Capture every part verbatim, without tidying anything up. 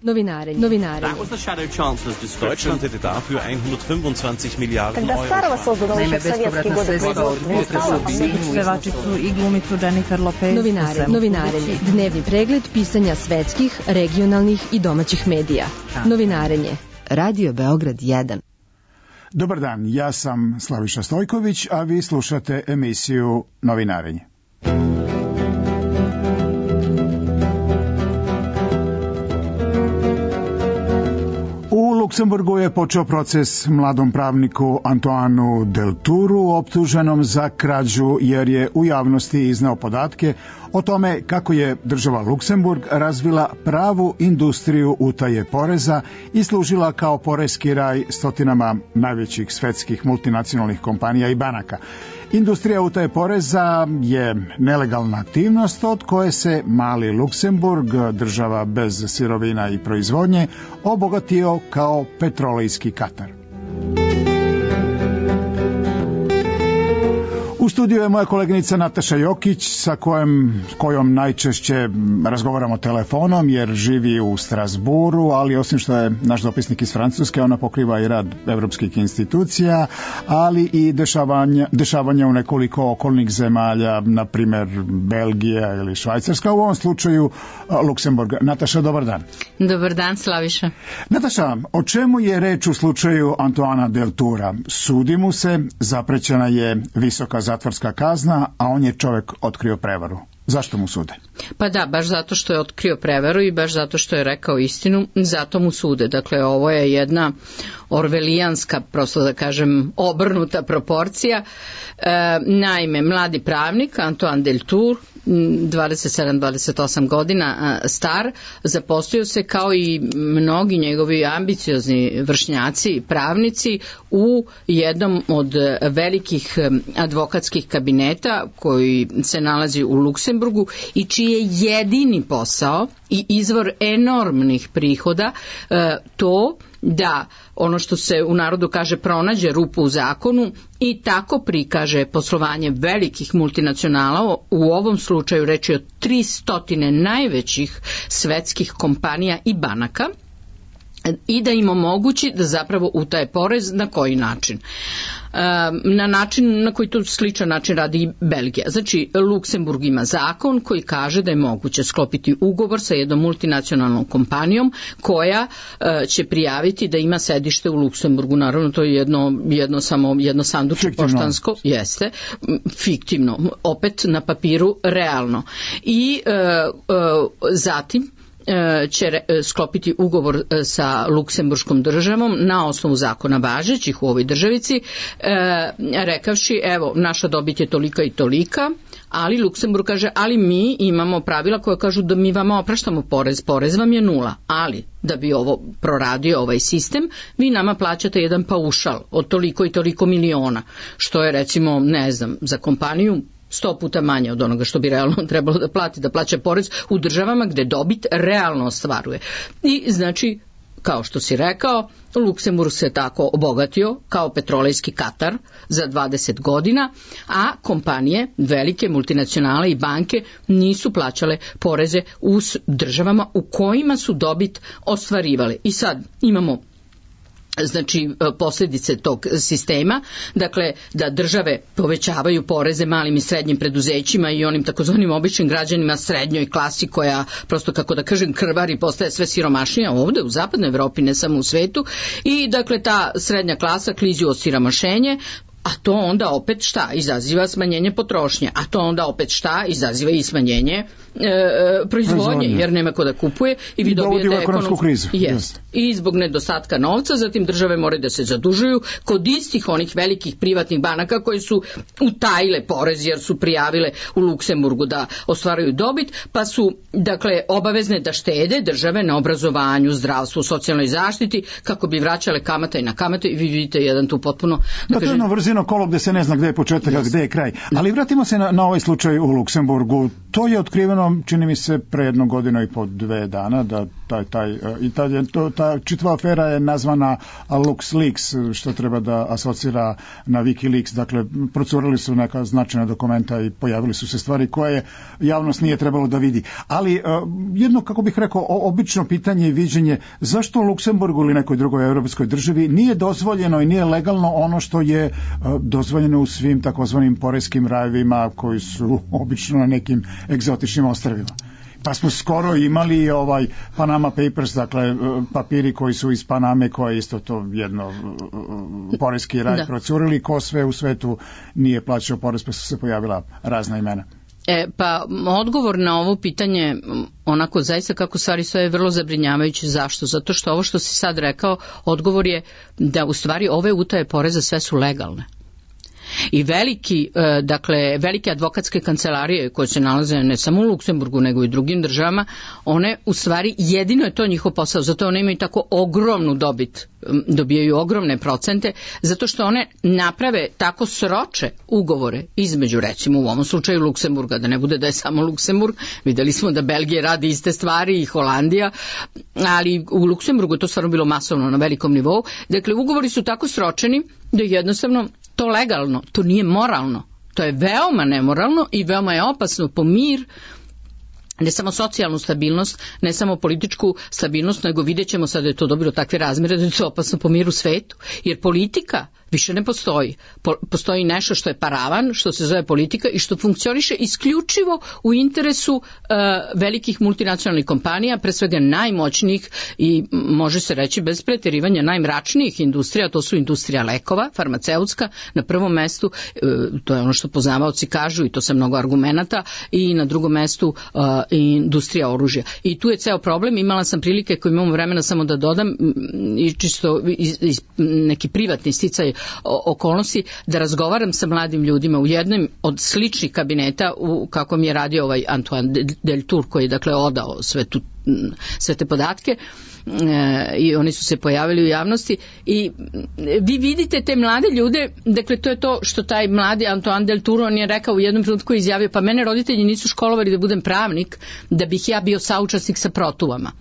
Novinarenje. Novinarenje. Deutschland hätte dafür hundertfünfundzwanzig Miliarden Когда Старого создан еще в советские годы производство. Pevačicu i glumicu Jennifer Lopez. Novinarenje. Novinarenje. Dnevni pregled pisanja svetskih, regionalnih i domaćih medija. Novinarenje. Radio Beograd jedan. Dobar dan, ja sam Slaviša Stojković, a vi slušate emisiju Novinarenje. U Luksemburgu je počeo proces mladom pravniku Antoanu Deltouru, optuženom za krađu jer je u javnosti izneo podatke o tome kako je država Luksemburg razvila pravu industriju utaje poreza i služila kao poreski raj stotinama najvećih svetskih multinacionalnih kompanija i banaka. Industrija utaje poreza je nelegalna aktivnost od koje se mali Luksemburg, država bez sirovina i proizvodnje, obogatio kao petrolejski Katar. U studiju je moja koleginica Nataša Jokić, sa kojom, kojom najčešće razgovaramo telefonom jer živi u Strasburu, ali osim što je naš dopisnik iz Francuske, ona pokriva i rad evropskih institucija, ali i dešavanja, dešavanja u nekoliko okolnih zemalja, na primjer Belgija ili Švajcarska, u ovom slučaju Luksemburg. Nataša, dobar dan. Dobar dan, Slaviša. Nataša, o čemu je reč u slučaju Antoana Deltoura? Sudi mu se, zaprećena je visoka zatvorska kazna, a on je čovjek otkrio prevaru. Zašto mu sude? Pa da, baš zato što je otkrio prevaru i baš zato što je rekao istinu, zato mu sude. Dakle, ovo je jedna orvelijanska, prosto da kažem, obrnuta proporcija. E, naime, mladi pravnik Antoine Deltour, dvadeset sedam dvadeset osam godina star, zaposlio se kao i mnogi njegovi ambiciozni vršnjaci, pravnici, u jednom od velikih advokatskih kabineta koji se nalazi u Luksemburgu i čiji je jedini posao i izvor enormnih prihoda to da ono što se u narodu kaže pronađe rupu u zakonu i tako prikaže poslovanje velikih multinacionala, u ovom slučaju reč je o tristotine najvećih svetskih kompanija i banaka, i da im omogući da zapravo utaje porez. Na koji način? Na način na koji to sličan način radi i Belgija. Znači, Luksemburg ima zakon koji kaže da je moguće sklopiti ugovor sa jednom multinacionalnom kompanijom koja će prijaviti da ima sedište u Luksemburgu. Naravno, to je jedno, jedno samo jedno sanduče poštansko, jeste, fiktivno, opet na papiru realno. I e, e, zatim će sklopiti ugovor sa luksemburškom državom na osnovu zakona važećih u ovoj državici, rekavši evo naša dobit je tolika i tolika, ali Luksemburg kaže ali mi imamo pravila koje kažu da mi vama opraštamo porez, porez vam je nula, ali da bi ovo proradio ovaj sistem, vi nama plaćate jedan paušal od toliko i toliko miliona, što je recimo, ne znam, za kompaniju sto puta manje od onoga što bi realno trebalo da plati, da plaća porez u državama gde dobit realno ostvaruje. I znači, kao što si rekao, Luksemburg se tako obogatio kao petrolejski Katar za dvadeset godina, a kompanije, velike multinacionale i banke nisu plaćale poreze u državama u kojima su dobit ostvarivale. I sad imamo znači posljedice tog sistema, dakle da države povećavaju poreze malim i srednjim preduzećima i onim takozvanim običnim građanima, srednjoj klasi koja prosto, kako da kažem, krvari, postaje sve siromašnija ovde u zapadnoj Evropi, ne samo u svetu, i dakle ta srednja klasa klizi u osiromašenje, a to onda opet šta? Izaziva smanjenje potrošnje, a to onda opet šta? Izaziva i smanjenje e, proizvodnje, jer nema ko da kupuje i vi dobijete ekonomsku krizu. Jest. I zbog nedostatka novca, zatim države moraju da se zadužuju kod istih onih velikih privatnih banaka koji su utajile porez jer su prijavile u Luksemburgu da ostvaruju dobit, pa su dakle obavezne da štede države na obrazovanju, zdravstvu, socijalnoj zaštiti kako bi vraćale kamate i na kamate, i vi vidite jedan tu potpuno da kažem, vrzino kolo gde se ne zna gde je početak, a gde je kraj. Ali vratimo se na, na ovaj slučaj u Luksemburgu. To je otkriveno objavljeno, čini mi se, pre jedno godinu i po dve dana, da taj, taj, i taj, to, ta čitava afera je nazvana LuxLeaks, što treba da asocira na WikiLeaks. Dakle, procurili su neka značajna dokumenta i pojavili su se stvari koje javnost nije trebalo da vidi. Ali jedno, kako bih rekao, obično pitanje i viđenje, zašto u Luksemburgu ili nekoj drugoj evropskoj državi nije dozvoljeno i nije legalno ono što je dozvoljeno u svim takozvanim porejskim rajevima koji su obično na nekim egzotičnim ostrvima. Pa smo skoro imali ovaj Panama Papers, dakle papiri koji su iz Paname, koje isto to jedno porejski raj da. procurili, ko sve u svetu nije plaćao porez, pa su se pojavila razna imena. E, pa odgovor na ovo pitanje, onako zaista kako stvari stoje, je vrlo zabrinjavajući. Zašto? Zato što ovo što si sad rekao, odgovor je da u stvari ove utaje poreza sve su legalne. I veliki, dakle, velike advokatske kancelarije koje se nalaze ne samo u Luksemburgu nego i u drugim državama, one u stvari jedino je to njihov posao, zato one imaju tako ogromnu dobit, dobijaju ogromne procente, zato što one naprave tako sroče ugovore između, recimo u ovom slučaju Luksemburga, da ne bude da je samo Luksemburg, videli smo da Belgija radi iste stvari i Holandija, ali u Luksemburgu je to stvarno bilo masovno na velikom nivou. Dakle, ugovori su tako sročeni da jednostavno to legalno, to nije moralno, to je veoma nemoralno i veoma je opasno po mir, ne samo socijalnu stabilnost, ne samo političku stabilnost, nego vidjet ćemo sad da je to dobilo takve razmjere da je to opasno po miru svetu, jer politika više ne postoji. Po, postoji nešto što je paravan, što se zove politika i što funkcioniše isključivo u interesu uh, velikih multinacionalnih kompanija, pre svega najmoćnijih i može se reći bez pretjerivanja najmračnijih industrija, to su industrija lekova, farmaceutska, na prvom mestu, uh, to je ono što poznavaoci kažu i to sa mnogo argumenata, i na drugom mestu uh, industrija oružja. I tu je ceo problem. Imala sam prilike, koji imamo vremena samo da dodam, i čisto iz, iz neki privatni sticaj okolnosti, da razgovaram sa mladim ljudima u jednom od sličnih kabineta u kakvom je radio ovaj Antoine Deltour, koji je dakle odao sve, tu, sve te podatke, e, i oni su se pojavili u javnosti i vi vidite te mlade ljude, dakle to je to što taj mladi Antoine Deltour, on je rekao u jednom trenutku, izjavio, pa mene roditelji nisu školovali da budem pravnik, da bih ja bio saučesnik sa protuvama.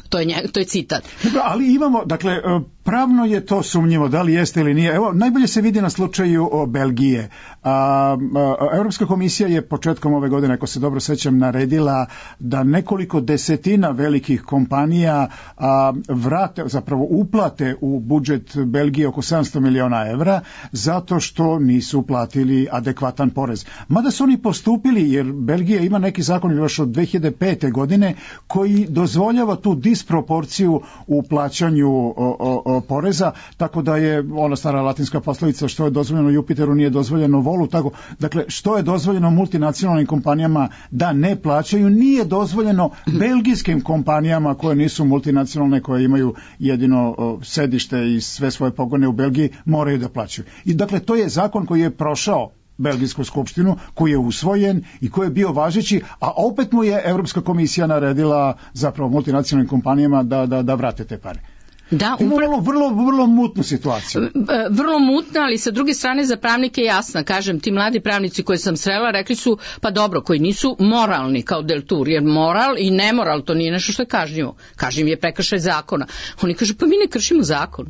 To je, nje, to je citat. Dobro, ali imamo, dakle, pravno je to sumnjivo, da li jeste ili nije. Evo, najbolje se vidi na slučaju o Belgije. A, a, Europska komisija je početkom ove godine, ako se dobro sećam, naredila da nekoliko desetina velikih kompanija a, vrate, zapravo uplate u budžet Belgije oko sedamsto miliona evra, zato što nisu platili adekvatan porez. Mada su oni postupili, jer Belgija ima neki zakon još od dve hiljade pete godine koji dozvoljava tu disproporciju u plaćanju o, o, o poreza, tako da je ona stara latinska poslovica, što je dozvoljeno Jupiteru nije dozvoljeno volu, tako, dakle što je dozvoljeno multinacionalnim kompanijama da ne plaćaju, nije dozvoljeno belgijskim kompanijama koje nisu multinacionalne, koje imaju jedino o, sedište i sve svoje pogone u Belgiji, moraju da plaćaju. I dakle to je zakon koji je prošao Belgijsku skupštinu, koji je usvojen i koji je bio važeći, a opet mu je Europska komisija naredila zapravo multinacionalnim kompanijama da, da, da vrate te pare. Da, vrlo, vrlo, vrlo mutnu situaciju. Vrlo mutna, ali sa druge strane za pravnike je jasna. Kažem, ti mladi pravnici koje sam srela rekli su, pa dobro, koji nisu moralni kao Deltour, jer moral i nemoral to nije nešto što je kažnjivo. Kažnjiv je prekršaj zakona. Oni kažu, pa mi ne kršimo zakon.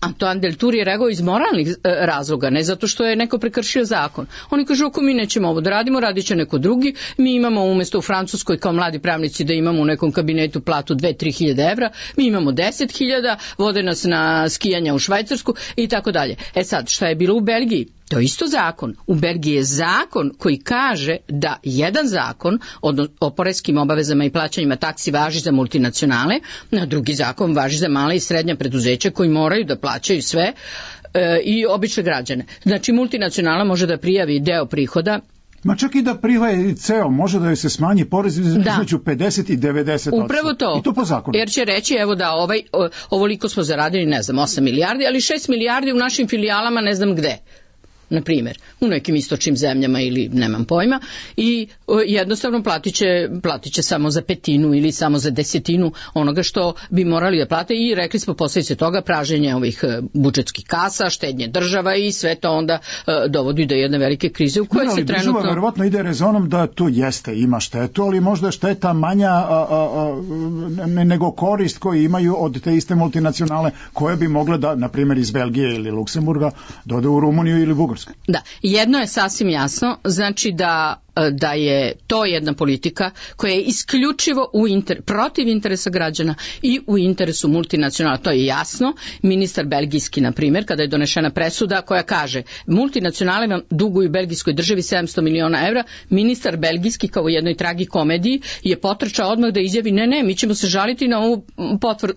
Antoine Deltour je rekao iz moralnih razloga, ne zato što je neko prekršio zakon. Oni kažu, ako mi nećemo ovo da radimo, radit će neko drugi. Mi imamo umjesto u Francuskoj kao mladi pravnici da imamo u nekom kabinetu platu dve do tri hiljade evra, mi imamo deset hiljada, vode nas na skijanja u Švajcarsku i tako dalje. E sad, šta je bilo u Belgiji? To je isto zakon. U Belgiji je zakon koji kaže da jedan zakon o poreskim obavezama i plaćanjima taksi važi za multinacionale, a drugi zakon važi za male i srednja preduzeća koji moraju da plaćaju sve e, i obične građane. Znači multinacionala može da prijavi deo prihoda. Ma čak i da prijavi ceo, može da joj se smanji porez između pedeset i devedeset posto. Upravo to. I to po zakonu. Jer će reći, evo da ovaj, ovoliko smo zaradili, ne znam, osam milijardi, ali šest milijardi u našim filijalama ne znam gde. na primjer, u nekim istočnim zemljama ili nemam pojma, i o, jednostavno platit će, platit će samo za petinu ili samo za desetinu onoga što bi morali da plate, i rekli smo posljedice toga praženje ovih budžetskih kasa, štednje država, i sve to onda uh, dovodi do jedne velike krize u kojoj no, se trenutno... Država verovatno ide rezonom da tu jeste, ima štetu, ali možda je šteta manja a, a, a, nego korist koju imaju od te iste multinacionale koje bi mogle da, na primjer iz Belgije ili Luksemburga, dode u Rumuniju ili Bugarsku. Da, jedno je sasvim jasno, znači da da je to jedna politika koja je isključivo u inter, protiv interesa građana i u interesu multinacionala. To je jasno. Ministar belgijski, na primjer, kada je donešena presuda koja kaže multinacionale vam duguju belgijskoj državi sedamsto miliona evra, ministar belgijski kao u jednoj tragikomediji je potrčao odmah da izjavi ne, ne, mi ćemo se žaliti na ovu potvr,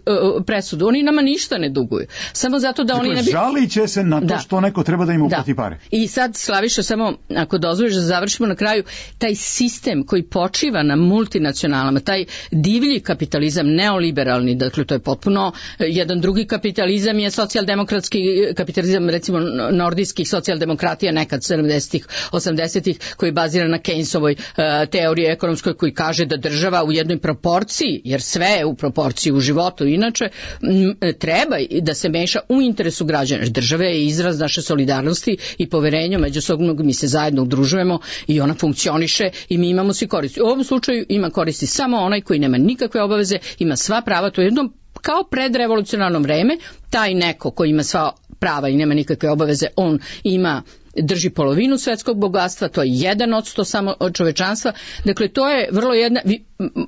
presudu. Oni nama ništa ne duguju. Samo zato da dakle, oni ne bi... žalit će se na to da. što neko treba da im uplati da. pare. I sad, Slaviša, samo ako dozvoliš da završimo na kraju, taj sistem koji počiva na multinacionalama, taj divlji kapitalizam, neoliberalni, dakle to je potpuno jedan drugi kapitalizam, je socijaldemokratski kapitalizam, recimo nordijskih socijaldemokratija nekad sedamdesetih, osamdesetih, koji je baziran na Keynesovoj uh, teoriji ekonomskoj, koji kaže da država u jednoj proporciji, jer sve je u proporciji u životu inače, m, treba da se meša u interesu građana. Država je izraz naše solidarnosti i poverenja međusobnog, mi se zajedno udružujemo i ona funkcioniše i mi imamo svi koristi. U ovom slučaju ima koristi samo onaj koji nema nikakve obaveze, ima sva prava, to je jedno kao predrevolucionarno vreme, taj neko koji ima sva prava i nema nikakve obaveze, on ima drži polovinu svetskog bogatstva, to je jedan odsto samo od čovečanstva. Dakle, to je vrlo jedna,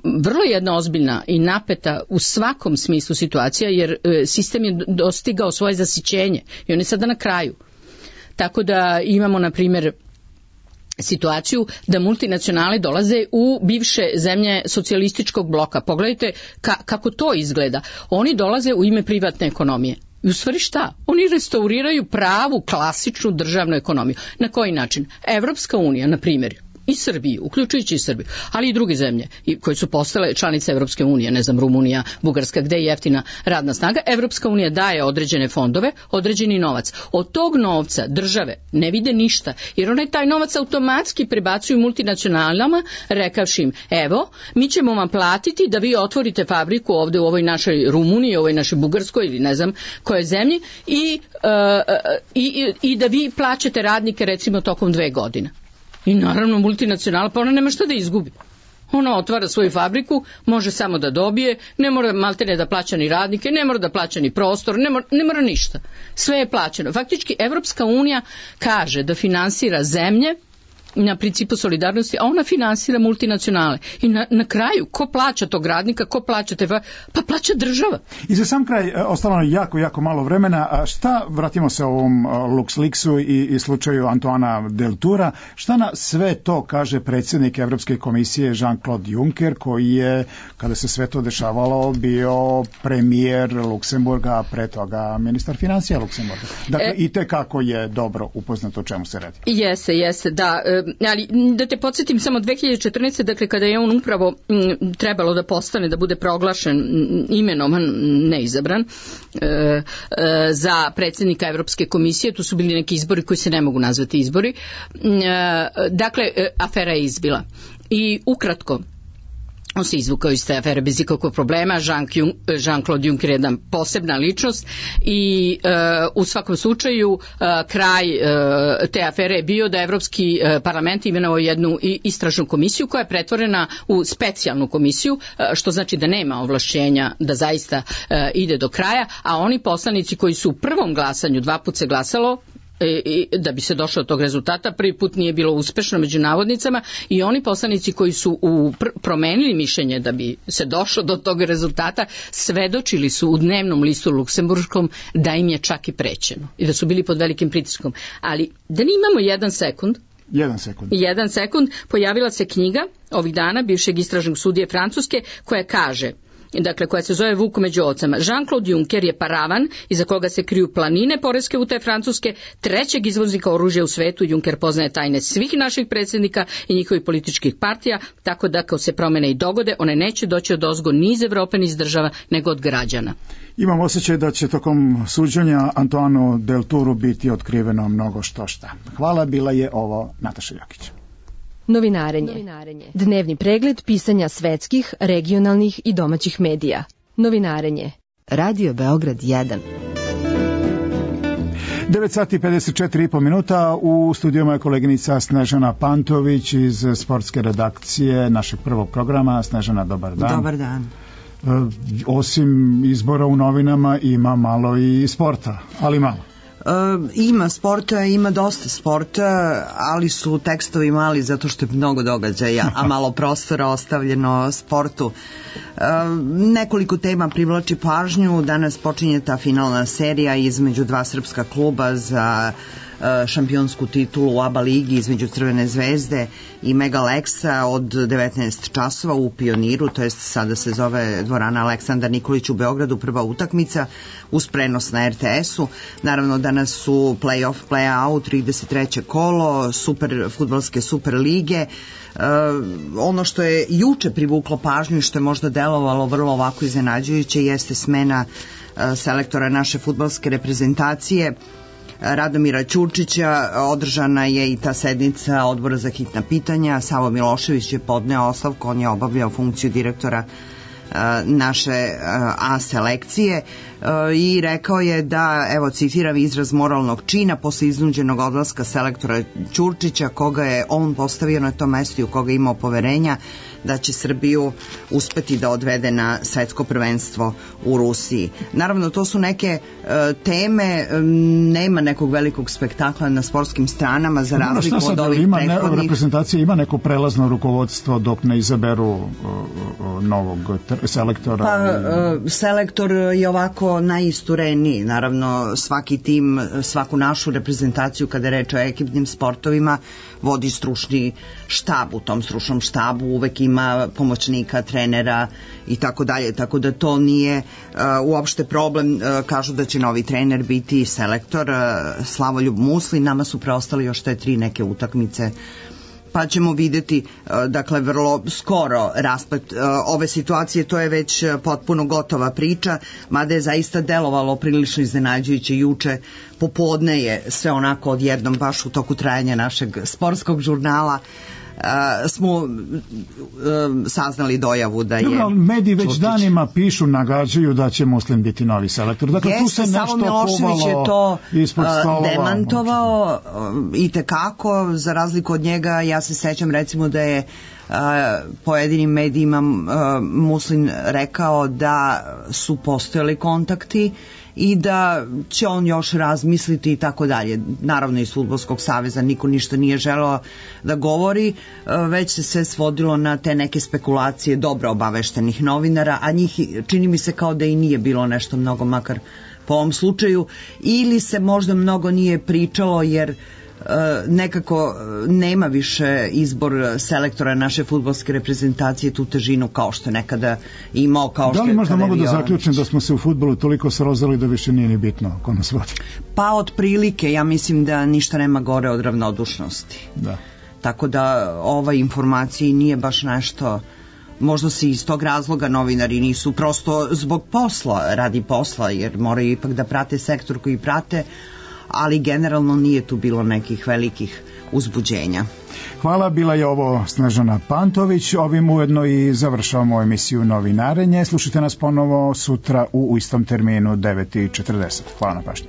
vrlo jedna ozbiljna i napeta u svakom smislu situacija, jer sistem je dostigao svoje zasićenje i on je sada na kraju. Tako da imamo, na primjer, situaciju da multinacionale dolaze u bivše zemlje socijalističkog bloka. Pogledajte ka, kako to izgleda. Oni dolaze u ime privatne ekonomije. I u stvari šta? Oni restauriraju pravu, klasičnu državnu ekonomiju. Na koji način? Evropska unija, na primjer, i Srbiju, uključujući i Srbiju, ali i druge zemlje koje su postale članice Evropske unije, ne znam, Rumunija, Bugarska, gde je jeftina radna snaga. Evropska unija daje određene fondove, određeni novac. Od tog novca države ne vide ništa, jer one taj novac automatski prebacuju multinacionalama, rekavši im, evo, mi ćemo vam platiti da vi otvorite fabriku ovde u ovoj našoj Rumuniji, ovoj našoj Bugarskoj ili ne znam kojoj zemlji i, uh, i, i da vi plaćate radnike recimo tokom dve godine. I naravno multinacionalna, pa ona nema šta da izgubi. Ona otvara svoju fabriku, može samo da dobije, ne mora maltene da plaća ni radnike, ne mora da plaća ni prostor, ne mora, ne mora ništa. Sve je plaćeno. Faktički Evropska unija kaže da finansira zemlje na principu solidarnosti, a ona finansira multinacionale. I na, na kraju, ko plaća tog radnika, ko plaća te... Pa plaća država. I za sam kraj, ostalo je jako, jako malo vremena. A šta, vratimo se ovom LuxLeaksu i, i slučaju Antoana Deltoura, šta na sve to kaže predsjednik Evropske komisije Jean-Claude Juncker, koji je, kada se sve to dešavalo, bio premijer Luksemburga, pre toga ministar financija Luksemburga. Dakle, e, i te kako je dobro upoznato o čemu se radi. Jeste, jeste, da. Ali da te podsjetim samo dve hiljade četrnaeste. dakle kada je on upravo m, trebalo da postane, da bude proglašen, imenovan, neizabran e, e, za predsjednika Evropske komisije, tu su bili neki izbori koji se ne mogu nazvati izbori, e, dakle afera je izbila i ukratko on se izvukao iz te afere bez ikakvog problema. Jean-Claude Juncker je jedna posebna ličnost i e, u svakom slučaju e, kraj e, te afere je bio da Evropski e, parlament imenovao jednu istražnu komisiju koja je pretvorena u specijalnu komisiju, e, što znači da nema ovlašćenja da zaista e, ide do kraja, a oni poslanici koji su u prvom glasanju, dva put se glasalo, I da bi se došlo do tog rezultata, prvi put nije bilo uspešno među navodnicama, i oni poslanici koji su u pr- promenili mišljenje da bi se došlo do tog rezultata, svedočili su u dnevnom listu luksemburškom da im je čak i prećeno i da su bili pod velikim pritiskom. Ali da ne imamo jedan sekund, Jedan sekund. Jedan sekund, pojavila se knjiga ovih dana bivšeg istražnog sudije Francuske koja kaže dakle koja se zove Vuk među ovcama. Jean-Claude Juncker je paravan iza koga se kriju planine poreske utaje Francuske, trećeg izvoznika oružja u svetu. Juncker poznaje tajne svih naših predsjednika i njihovih političkih partija, tako da ako se promene i dogode, one neće doći od ozgo ni iz Evrope ni iz država, nego od građana. Imam osjećaj da će tokom suđenja Antoanu Deltouru biti otkriveno mnogo što šta. Hvala, bila je ovo Nataša Jokić. Novinarenje. Novinarenje. Dnevni pregled pisanja svetskih, regionalnih i domaćih medija. Novinarenje. Radio Beograd jedan. devet sati i pedeset četiri i po minuta, u studijama je koleginica Snežana Pantović iz sportske redakcije našeg prvog programa. Snežana, dobar dan. Dobar dan. Osim izbora u novinama ima malo i sporta, ali malo. E, ima sporta, ima dosta sporta, ali su tekstovi mali zato što je mnogo događaja, a malo prostora ostavljeno sportu. E, nekoliko tema privlači pažnju. Danas počinje ta finalna serija između dva srpska kluba za šampionsku titulu u A B A ligi između Crvene zvezde i Mega Leksa od devetnaest časova u Pioniru, to jest sada se zove dvorana Aleksandar Nikolić u Beogradu, prva utakmica uz prenos na R T S-u. Naravno danas su play-off, play-out, trideset treće kolo super fudbalske super lige. Uh, ono što je juče privuklo pažnju i što je možda delovalo vrlo ovako iznenađujuće jeste smena uh, selektora naše fudbalske reprezentacije Radomira Ćurčića. Održana je i ta sednica Odbora za hitna pitanja. Savo Milošević je podneo ostavku, on je obavljao funkciju direktora naše A selekcije i rekao je da, evo citiram, izraz moralnog čina posle iznuđenog odlaska selektora Ćurčića, koga je on postavio na tom mestu i u koga je imao poverenja da će Srbiju uspeti da odvede na svetsko prvenstvo u Rusiji. Naravno, to su neke uh, teme, um, nema nekog velikog spektakla na sportskim stranama za razliku od ovih ima prethodnih. Ne, reprezentacija ima neko prelazno rukovodstvo dok ne izaberu uh, uh, novog tr- selektora? Pa, uh, selektor je ovako najistureniji. Naravno, svaki tim, svaku našu reprezentaciju kada je reč o ekipnim sportovima vodi stručni štab. U tom stručnom štabu uvek ima pomoćnika, trenera i tako dalje, tako da to nije uh, uopšte problem. Uh, kažu da će novi trener biti selektor uh, Slavoljub Musli. Nama su preostali još te tri neke utakmice, pa ćemo videti, dakle, vrlo skoro rasplet ove situacije. To je već potpuno gotova priča, mada je zaista delovalo prilično iznenađujuće juče popodne je sve onako odjednom, baš u toku trajanja našeg sportskog žurnala, Uh, smo uh, saznali dojavu da je... Dobro, mediji već Čurčić. danima pišu, nagađaju da će Muslim biti novi selektor. Dakle, Jeste, tu se nešto Savo Milošević je to uh, demantovao uh, i tekako, za razliku od njega. Ja se sećam recimo da je uh, pojedinim medijima uh, Muslim rekao da su postojali kontakti i da će on još razmisliti i tako dalje. Naravno iz Fudbalskog saveza niko ništa nije želeo da govori, već se sve svodilo na te neke spekulacije dobro obaveštenih novinara, a njih čini mi se kao da i nije bilo nešto mnogo, makar po ovom slučaju, ili se možda mnogo nije pričalo jer nekako nema više izbor selektora naše fudbalske reprezentacije tu težinu kao što je nekada imao, kao što je... Da li možda mogu da zaključim da smo se u fudbalu toliko srozali da više nije ni bitno ko nas vodi? Pa otprilike, ja mislim da ništa nema gore od ravnodušnosti. Da. Tako da ova informacija nije baš nešto, možda se iz tog razloga novinari nisu, prosto zbog posla, radi posla, jer moraju ipak da prate sektor koji prate, ali generalno nije tu bilo nekih velikih uzbuđenja. Hvala, bila je ovo Snežana Pantović. Ovim ujedno i završavamo emisiju Novinarenje. Slušajte nas ponovo sutra u istom terminu devet i četrdeset. Hvala na pažnji.